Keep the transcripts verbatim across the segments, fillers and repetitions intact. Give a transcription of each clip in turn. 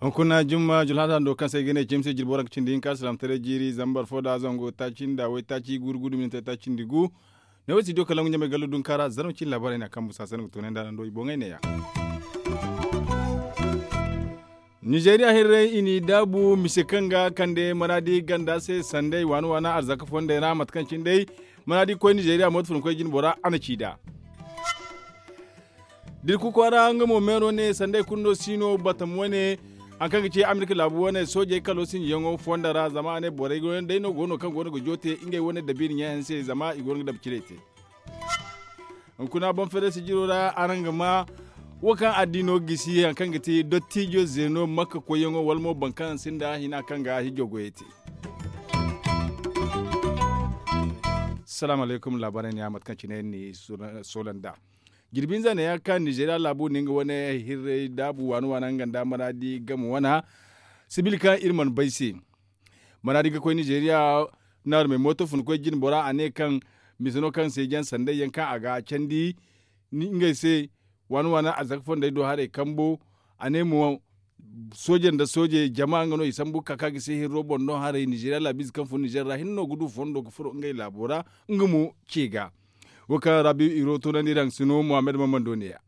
Hunkuna jumma julhata hando kaŋ se ay ga ne cimse jirbi waranka cindi hinka salaamataray jiiri zambar fo da zango taaci nda waytaaci guuru guuru minti taaci nda gu. Ne wo studio kalaŋ ɲamay gallo dunka ra zarma cine laabaarey no a kambu saasa no ga toonay nd'a nando i boŋey neeya. Nizeeriya hirrey i n'i daabu mise kaŋ ga kande manaadi ganda se sanday waana waana arzaka fondey ra mate kaŋ cine day manaadi koy nizeeriya mooto fun koy jine bora a na ci nd'a. Dirku kwaara nga mo meero ne sanday kulu no si no batam wane hari kaŋ ga ci amerika laabu wane soojey kalo sinjiyaŋo fonda ra zama a ne borey wane day no go no kaŋ go no ga joote ngey wane dabiiri ɲaayaŋ se zama i go no ga dabu cire te. Hunkuna boŋ feere sijiro ra araŋ ga ma wo kaŋ addiino gisi hari kaŋ ga ti dottijo zeeno makka koyyaŋo wala mo boro kaŋ sinda hina kaŋ ga hijo goyey te. Salaamu alaykum laabaarey neeya mate kaŋ cine ni soola nd'a. Jirbi hinza neeya kaŋ nizeeriya laabu na nga wane hirray daabu waana waana nga nda maraadi game wana sibil kaŋ iri mana bay se. Maraadi ga koy nizeeriya naarumey mooto fun koy jine bora a ne kaŋ mise no kaŋ seeji yaŋ sanday yaŋ kaŋ a ga candi ngey se waana waana arzaka fondey do haray kambo. A ne mo sooje nda sooje jama nga no i sambu ga ka ga se hirro boŋ no haray nizeeriya laabiize kaŋ fun nizeer ra hinne no ga du fondo ga furo ngey laabo ra. Nga mo ce ga wo kaŋ ra biiro toonandi iri haŋ sino muhammad mamando neeya.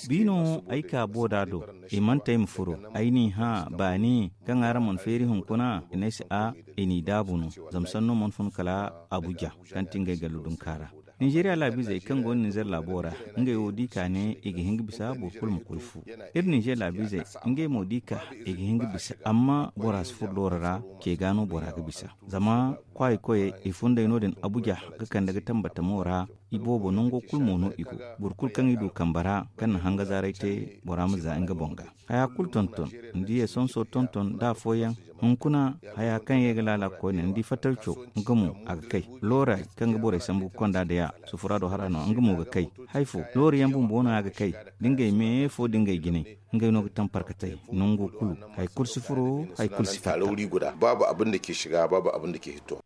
Bi no ay ka booda do i mana te ay ma furo ay n'i hã baani kaŋ araŋ mana feeri hunkuna i ne ay se a i n'i daabu no. Zama sanno mana fun kala abuja kaŋ ti ngey gallu dunka ra. Ninzeeriya laabiizey kaŋ go no ninzeer laabo ra ngey wo di ka ne i ga hin ga bisa boro kulu ma koy fu. Iri ninzeer laabiizey ngey mo di ka i ga hin ga bisa amma bora si furo dooro ra. Ce ga no bora ga bisa zama kwaayi koyey i funday no- din abuja ga kande ga tambatamo ra. I boobo nango kulu mo no i go. Boro kulu kaŋ i du kambe ra kaŋ na hanga zaaray te bora ma za nga boŋ ga. Haya kulu tonton ni di esonso tonton da afooyaŋ. Hunkuna haya kaŋ ye ga laala ga koyne ni di fatarco nga mo a ga kay. Looray kaŋ ga borey sambu ga konda day a sufura do hara no nga mo ga kay. Hari fo loori yaŋ bumbo no a ga kay da ngey me fo da ngey jinay. Ngey no ga taŋ parkatey nango kulu. Hari kulu si furo hari kulu si fatta. Babu abin da ke shiga babu abin da ke hito.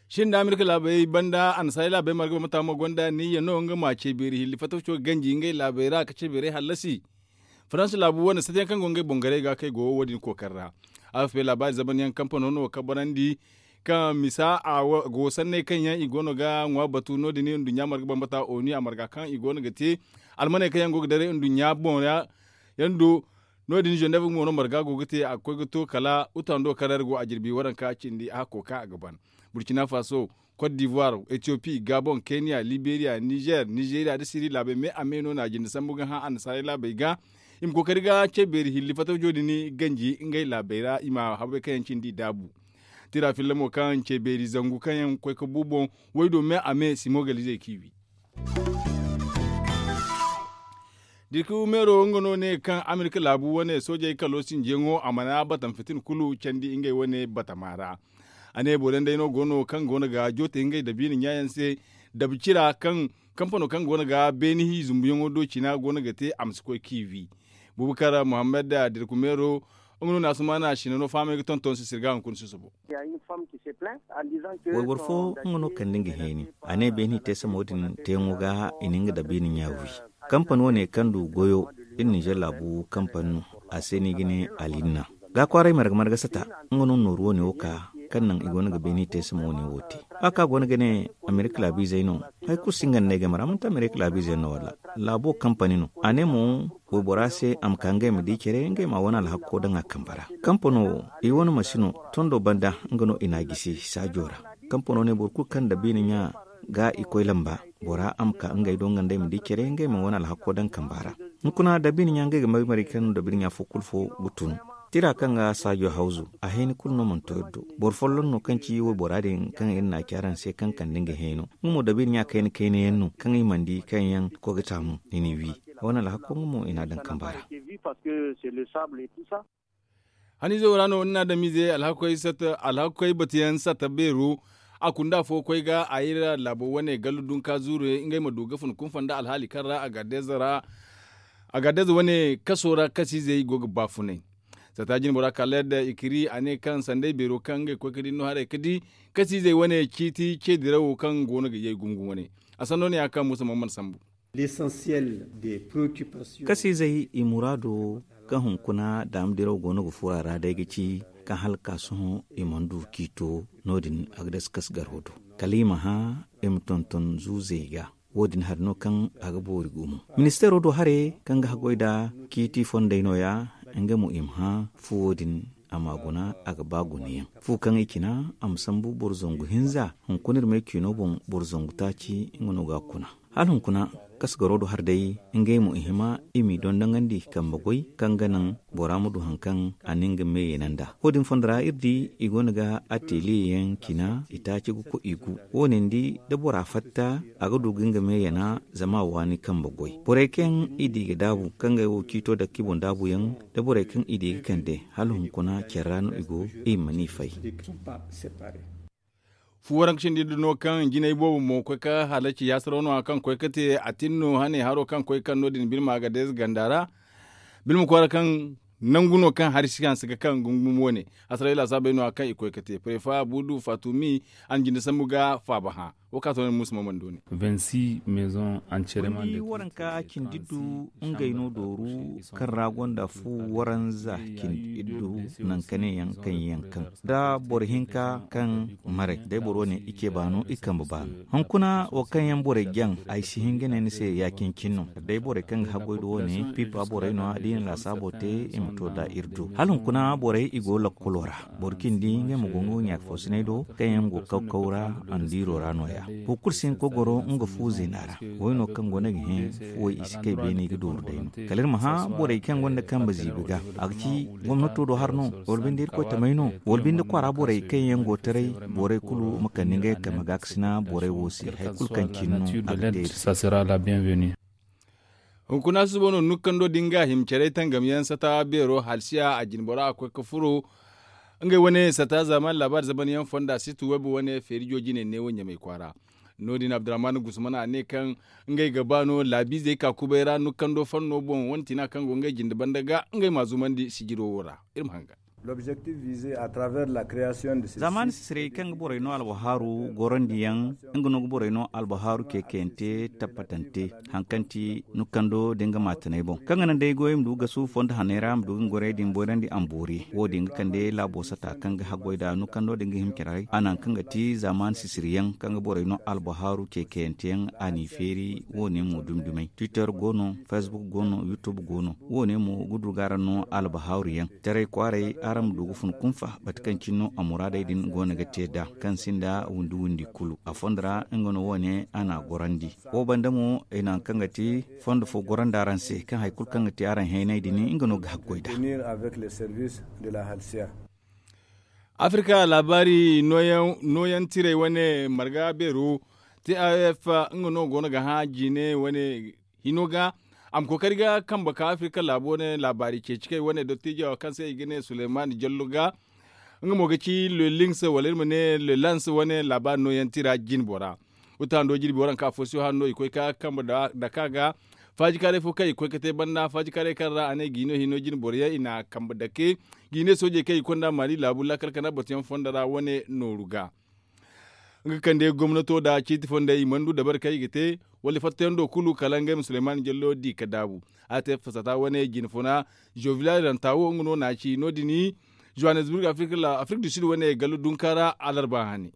Shin da amerika laabey banda annasaari laabey marga bambata mo gonda niyya no nga ma ce beeri hilli fattaco ganji ngey laabey ra ka ce beerey hallasi. Faransa laabu wane sata yaŋ kaŋ go ngey boŋ garay ga kaŋ i go wo- din kookari ra. Afp laabaari zaban yaŋ kampano no kabarandi kaŋ misa a go sanney kaŋ yaŋ i go no ga ŋwa batu no- din nduɲɲa marga bambata onu a marga kaŋ i go no ga te almaney kaŋ yaŋ go ga daray nduɲɲa boŋ ra. Yaŋ do no- din zeneb mo no marga go ga te a ga koy ga to kala utando kaŋ ra iri go a jirbi waranka cindi a hakko kaŋ a ga ban. Burkina faso, cote d'ivoire, ethiopie, gabon, kenya, liberia, nizer, nizeria nda siri laabey me a me no na a jinde sambu ga hã annasaarey laabey ga. I ma kookari ga ce beeri hilli fattaco din ganji ngey laabey ra i ma habbay kaŋ yaŋ cindi i daabu. Tira filla mo kaŋ ce beeri zangu kaŋ yaŋ ga koy ga bu boŋ waydo me a me simogalizey k'i wi. Dirku meero nga no ne kaŋ amerika laabu wane soojey kalo sinjiyaŋo a mana batam fitin kulu candi ngey wane batama ra. A ne boro yaŋ day no go no kaŋ go no ga joote ngey dabiina ɲaayaŋ se. Dabu cira kaŋ kampano kaŋ go no ga beeni hi zumbuyaŋo do cina go no ga te a ma si koy k'i wi. Bubakar muhammad dirku meero nga no na asumaana sina no fahamay ga tonton se sirga hunkuna susubo. Wayboro fo nga no kande nga heeni a ne beeni teesamo din teeyaŋo ga i na nga dabiina ɲa wi. Kampani wane kaŋ du goyo iri ninzeer laabu kampani no. A se no i ga ne alinna ga kwaaray marga marga sata. Nga no nooru wane wo ka kaŋ naŋ i go no ga beeni teesamo wane wo te. A ka go no ga ne amerika laabiizey no. Hari kulu si nga nda ay game ra manti amerika laabiizey no wala laabo kampani no a ne mo waybora se a ma ka ngey ma di care ngey ma a wane alhakko daŋ a kambe ra. Kampano wo i wane masino tondo banda nga no i n'a gisi saajo ra. Kampano ne boro kulu kaŋ dabiina ɲa ga i koy lamba bora a ma ka ngey do nga nda ay ma di care ngey ma wane alhakko daŋ kamba ra. Hunkuna dabiina ɲa ngey ga mari mari kaŋ dabiina ɲa fo kulu fo ga tun. Tira kaŋ ga saajo hawzu a hayni kulu no mana to iri do. Boro folloŋ no kaŋ ci waybora din kaŋ iri n'a ci araŋ se kaŋ kande nga hayno nga mo dabiina ɲa kayna kayna yaŋ no kaŋ i mana di kaŋ yaŋ koy ga taamu i n'i wi. Wane alhakko nga mo i n'a daŋ kamba ra. Haniize wo ra no ni na adamize alhakoy batuyaŋ satta beero. A kunda afo koy ga a iri laabo wane gallu dunka zuuru ngey ma du ga fun kunfa nda alhaali kaŋ ra a ga deeza ra. A ga deeza wane kaso ra kasiizey go ga baafunay. Sata jine bora kala yadda i kiri a ne kaŋ sanday beero kaŋ ngey koy ka di no haray ka di kasiizey wane ciiti ce dirawo kaŋ go no ga yay gumo gumo ne. A sanno ne ya kaŋ musa man mana sambu. Kasiizey i muraado kaŋ hunkuna daama diraw go no ga furo a ra day ga ci kaŋ hala ka sohõ i mana du ciito. No- din a ga dasa kasgaro do kala i ma hã i ma tonton zuuzey ga. Wo- din hari no kaŋ a ga boori gumo. Ministeero do hare kaŋ ga haggoy nd'a ciiti fondey no- ya. Nga mo i ma hã fuwo din a ma guna a ga ba gunayaŋ fu kaŋ i cina a ma sambu boro zangu hinza. Hunkuna iri may ciino boŋ boro zangu taaci nga no ga a kuna. Hala hunkuna kasgaro do hari day ngey mo i hima i m'i dondonandi kambe goy kaŋ ga naŋ bora ma du hari kaŋ a na nga meeyey naŋ nd'a. Wo- din fondo ra iri di i go no ga ateliye yaŋ cina i taaci ga koy i gu. Wo- ne ni di da bora fatta a ga du ga nga meeyana zama a waani kambe goy borey kaŋ i di ga daabu kaŋ ga ay wo ciito dake i boŋ daabuyaŋ da borey kaŋ i di ga kande hala hunkuna care ra no i go i ma ni fay. Fu waranka cindi nda no kaŋ jinay boobo mo koy ka halaci yaasaraw no kaŋ koy ka te a tin no hane haro kaŋ koy kaŋ no- din bilma ga deeza ganda ra. Bilma kwaara kaŋ nangu no kaŋ hari si hanse ga kaŋ gungum wane. Hasarayla saabay no kaŋ i koy ka te prefa budu fatumi a na jinde sambu ga faaba hã. Wo ka to ne musa maman do ne. Waranka cindi du ngey no dooru kaŋ ra gonda fu waranza cindi iddu nangu ka ne yaŋ kaŋ yaŋ kaŋ da boro hinka kaŋ maray day boro ne i ce baano i kambe baano. Hunkuna wo kaŋ yaŋ borey jaŋ ay si hin ga ne ni se ya-cine-cine no kala day borey kaŋ ga haggoy do wo- ne pipa borey no- ya da i na laasaabo te i ma to nd'a iri do hala hunkuna borey i go lakkolo ra. Boro cindi ngey ma go nga wo ɲaaka foosinay do kaŋ yaŋ go kaw-kaw ra andiiro ra no- ya. Boro kulu si hin ga koy goro nga fu zeena ra. Way no kaŋ go no ga hẽ fuwey i si kay beene i ga dooru day no kala iri ma hã borey kaŋ gonda kambe ziibi ga a ga ci gomnato do har no wala binde irkoy tamey no wala binde kwaara borey kaŋ yaŋ go taray. Borey kulu ma kande ngey kambe gaakasina borey wo se hari kulu kaŋ cine no a ga teeri. Hunkuna suba no nukkando din ga hima care tangam yaŋ sata beero halsiya a jinbora a koy ga furo ngey wane sata zaaman laabaari zamanyaŋ fonda situ web wane feerijo jine neewo ɲamay kwaara. No- din abdurrahman gusman a ne kaŋ ngey ga ba no laabiizey ka kubay ra nukkando fanno boŋ wane tina kaŋ go ngey jinde banda ga ngey ma zumandi sijiro wo ra. Iri ma hanga. Zaamaani sisiray kaŋ ga borey no albahaaru gorandiyaŋ nga no ga borey no albahaaru ceekayante tabbatante hari kaŋ ti nukkando da nga maatanay boŋ kaŋ ga naŋ day goyey ma du ga suubu fondo haney ra ma du ga nga gorey din boyrandi amboori wo- din ga kande laabo sata kaŋ ga haggoy nd'a nukkando da nga hima care a naŋ kaŋ ga ti zaamaani sisiriyaŋ kaŋ ga borey no albahaaru ceekayante yaŋ a n'i feeri. Wo- ne mo dumi dumey twitter go no facebook go no youtube go no wo- ne mo ga du ga araŋ no albahaaru yaŋ taray kwaaray araŋ ma du ga fun kunfa mate kaŋ cine no a muraadey din go no ga te nd'a kaŋ sinda windi windi kulu a fondo ra nga no wo- ne a n'a gorandi. Wo banda mo i naŋ kaŋ ga ti fondo fo gorandi araŋ se kaŋ hari kulu kaŋ ga ti araŋ heenay din nga no ga haggoy nd'a. Afirka laabaari nooyaŋ tirey wane marga beero taf nga no go no ga hã jine wane hino ga a ma kookari ga kambe ka afirka laabo wane laabaari ceeci kay wane dottijo kaŋ se i ga ne suleyman jallo ga nga mo ga ci le links wala iri ma ne le lance wane laabaari nooyaŋ tira jinbora. Wuta hando jirbi waranka fo si hando i koy ka kambe daka ga faajikaaray fo kaŋ i koy ka te banda faajikaaray kaŋ ra a ne giino hino jinboro yaŋ i na kambe dake giine soojey kaŋ i konda mali laabu laakal kana batuyaŋ fondo ra wane nooru ga. Nga kande gomnato nda ciiti fondey i mana du dabari kaŋ i ga te wala i fattayaŋ do kulu kala ngey ma suleyman jallo di ka daabu. A te fasata wane jinfuna jovilal ranta wo nga no na ci no- din johannesburg afrik du sud wane gallo dunka ra alarba hane.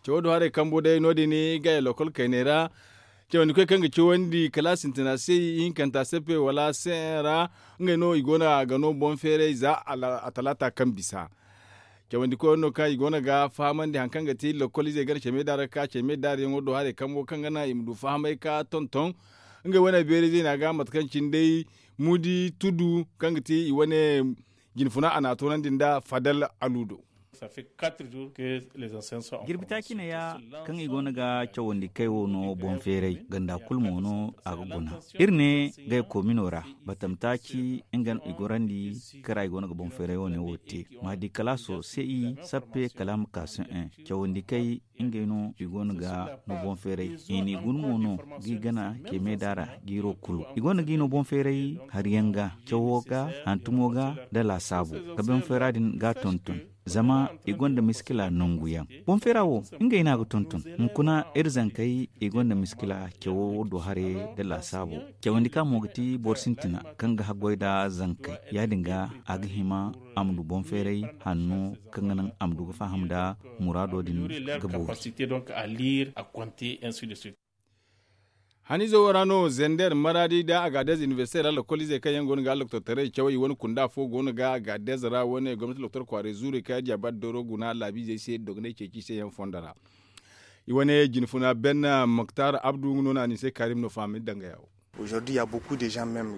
Cawo do haray kambo day no- din gaya lokol kayney ra. Cawandi koy kaŋ ga cawandi kala sintina se ihinkanta seppe wala se ra ngey no i go no a ga no boŋ feeray za a talaata kaŋ bisa. Cawandi koy no kaŋ i go no ga fahamandi hari kaŋ ga ti lokol izey gana ceme daara ga ka ceme daara yaŋo do haray kambo kaŋ ga naŋ i ma du fahamay ka tonton ngey wane beeray zayna ga mate kaŋ cine day mudi tudu kaŋ ga ti i wane jinfuna a na a toonandi nda fadal aludo. Jirbi taaci neeya kaŋ i go no ga cawandi kay wo no boŋ feeray ganda kulu mo no a ga guna. Iri ne gay koomino ra batam taaci nga no i gorandi kaŋ ra i go no ga boŋ feeray wo- ne wo te. Maadi kalaaso se i sappe kala a ma ka sohõ cawandi kay ngey no i go no ga no boŋ feeray i n'i guna mo no g'i gana kay meeda ra jiiro kulu i go no g'i no boŋ feeray hari yaŋ ga cawo ga hantumo ga nda laasaabo ga boŋ feera din ga a tonton. Zama i gonda miskila nangu yaŋ boŋ feera wo ngey no a ga tonton. Hunkuna iri zankey i gonda miskila cawo do haray nda laasaabo. Cawandi kaŋ mo ga ti boro sintina kaŋ ga haggoy nda zankey ya- din ga a ga hima a ma du boŋ feeray hanno kaŋ ga naŋ a ma du ga faham nda muraado din ga boori. Haniize wo ra no zender maraadi nda agaadez inibersite ra lokol izey kaŋ yaŋ go no ga aloktortaray cawey i wane kunda fo go no ga agaadez ra wane gomnati loktor kwaaray zuurey kaŋ yaŋ diya ba da doro guna laabiizey se dogonay ceeci se yaŋ fondo ra. I wane jinfuna ben moktar abdu nga no no a ni se kaarim no fahamay dangaya wo.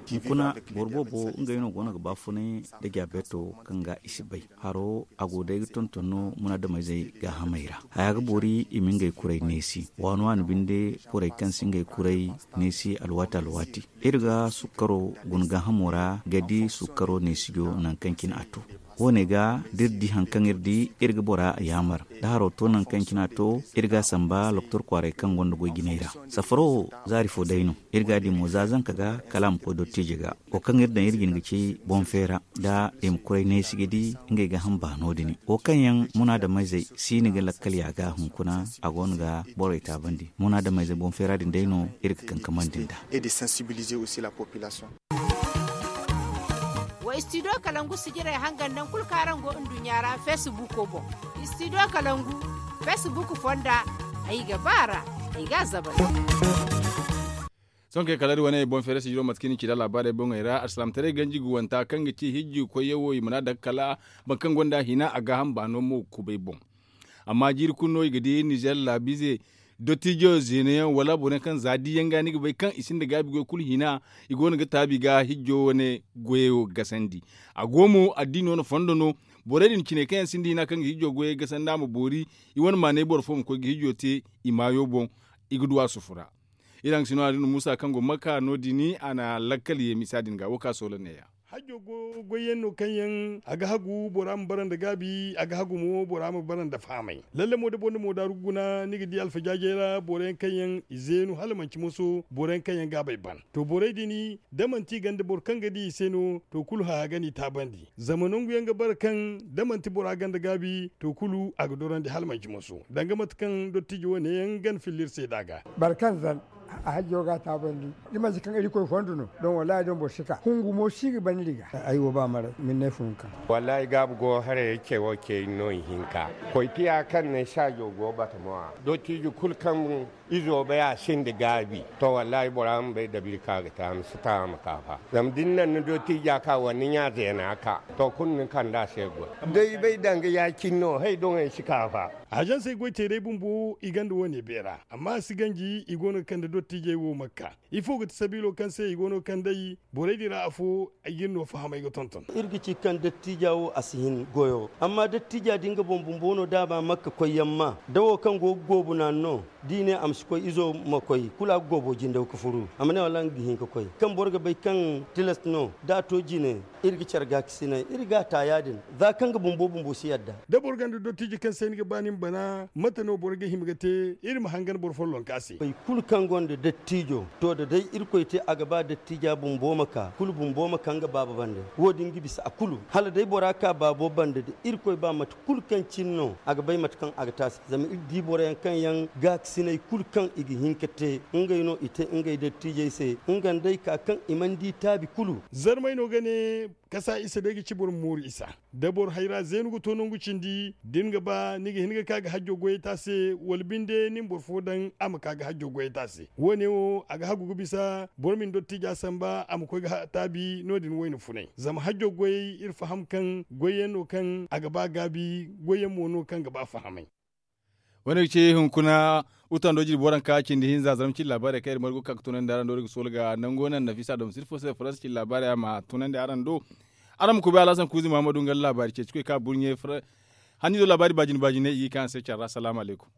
Hunkuna boro boobo ngey no go no ga baafunay nda jaabeeto kaŋ ga i si bay haro a go day ga tonton no munaadamayzey gaahamey ra. Haya ga boori i ma ngey kuray neesi waano a na binde borey kaŋ si ngey kuray neesi alwaati alwaati. Iri ga sukkaro guna gaahamo ra ga di sukkaro neesijo nangu kaŋ cine a to. Wo- ne ga da iri di hari kaŋ iri di iri ga bora yaamar da haro to nangu kaŋ cine a to iri ga a samba loktor kwaaray kaŋ gonda goy jinay ra. Safaro wo zaari fo day no. Iri ga a di mo za zanka ga kala a ma koy dottiije ga. Wo kaŋ iri daŋ iri jin ga ci boŋ feera da i ma koy neesi ga di ngey ga hamba no- din wo kaŋ yaŋ munaadamayzey si ni ga lakkal ya ga hunkuna a go no ga borey taabandi munaadamayzey boŋ feera din day no iri ga kankamandi nd'a. Wa istidiyo kalangu sijirey hangan naŋ kulu kaŋ araŋ go nduɲɲa ra feesibuuko boŋ. Istidiyo kalangu feesibuuko fonda ay ga ba a ra ay ga a zabay. Sohõ kay kala iri wane boŋ feeray sijiro mate kaŋ i na ci nd'a laabaarey boŋey ra alsilaamataray ganji ga wanta kaŋ ga ci hijji koyyaŋ wo i mana daga kala boro kaŋ gonda hina a gaaham baano mo kubay boŋ. Amma jiiri kulu no i ga di nizer laabiize dottijo zeena yaŋ wala boro yaŋ kaŋ za di yaŋ ga ni ga bay kaŋ i sinda gaabi goy kulu hina i go no ga taabi ga hijjo wane goyo gasandi. A go mo addiino no fondo no. Borey din cine kaŋ yaŋ sinda hina kaŋ ga hijjo goyey gasandi a ma boori i wane maanay boro fo ma koy ga hijjo te i maayo boŋ. I ga du a sufu ra. Iri haŋ ga si no a din muusa kaŋ go makka no- din a na lakkal ye misa din ga wo ka soola neeya. Hajjo go goyyaŋ no kaŋ yaŋ a ga hagu bora ma bara nda gaabi a ga hagu mo bora ma bara nda fahamay. Lalle mo da boro na mo daaru ga guna ni ga di alfajaajey ra boro yaŋ kaŋ yaŋ i zeenu hala manci moso boro yaŋ kaŋ yaŋ gaabey ban. To borey din da manti i ganda boro kaŋ ga di i se no to kulu haya ga n'i taabandi. Zama nangu yaŋ ga bara kaŋ da manti bora ganda gaabi to kulu a ga dorandi hala manci moso danga mate kaŋ dottijo wane yaŋ gana filla iri se nd'a ga. Boro kaŋ zan a hajjo ga a taabandi. Da manti kaŋ irkoy fondo no don wallaahi don boro si ka hungu mo si ga ban iri ga. Ay wo ba maray ma ni ne funka. Wallaahi gaabu go haray ce wo ce no ihinka. Koy tiya kaŋ ne saajo go batamo a dottijo kulu kaŋ izo bay a sinda gaabi. To wallaahi bora ma bay dabiri kaŋ a ga te a ma si ta a ma ka fa. Zama da ni naŋ ni dottija ka wala ni ɲa zeena ka to kulu ni kand'a se goy. Day bay danga ya-cine no hay doŋey si ka fa. Azansey goy teerey bumbo i gonda wo- ne beera amma a si ganji i go no ga kande dottijey wo makka. Ifo ga ti sabiilo kaŋ se i go no ga kand'ey? Borey din ra afo ay ga iri no fahamay ga tonton. Iri ga ci kaŋ dattija wo a si hin goyo amma dattija din ga boŋ bumbo no da a ba makka koyyaŋ ma da wo kaŋ go ga goobu naanu no. Da i ne a ma si koy izo ma koy kulu a ga goobo jindaw ga furu a ma ne wallaahi nga ga hin ga koy kaŋ boro ga bay kaŋ tilas no da a to jine. Iri ga care gaakasinay iri ga a ta ya- din. Za kaŋ ga bumbo bumbo si yadda. Da boro gonda dottiji kaŋ se ni ga ba ni ma bana mate no boro ga hima ga te? Iri ma hangan boro follonka se. Kulu kaŋ gonda dattijo to da day irkoy te a ga ba dattija bumbo ma ka kulu bumbo ma ka nga baaba banda. Wo- din ga bisa a kulu hala day bora ka baabo banda da irkoy ba mate kulu kaŋ cine no a ga bay mate kaŋ a ga te a se. Zama iri di boro yaŋ kaŋ yaŋ gaakasinay kulu kaŋ i ga hin ka te ngey no i te ngey dattijey se nga nd'ey ka kaŋ i mana di taabi kulu. Zarmay no ga ne kasa isa day ga ci boro ma mooru isa. Da boro hayra zeenu ga to nangu cindi da ni ga ba ni ga hin ga ka ga hajjo goyey te a se wala binde ni ma boro fo daŋ a ma ka ga hajjo goyey te a se. Wo- ne wo a ga hagu ga bisa boro ma ni dottija samba a ma koy ga taabi no- din wayna funay zama hajjo goyey iri faham kaŋ goyyaŋ no kaŋ a ga ba gaabi goyyaŋ mo no kaŋ ga ba fahamay. Wane ga ci hunkuna utando jirbi waranka cindi hinza zarma cindi laabaarey kaŋ iri margu ga ka ga tunandi araŋ do iri ga soola ga nango naŋ nafisa dom sirfo se faransa cindi laabaarey a ma tunandi araŋ do. Araŋ ma kuubi alhasan kuuzi muhammadu nga laabaari ceeci koy ka burɲe. Hanni do laabaari baajin baajinay i ga i kaŋ araŋ se care ra salaamu alaykum.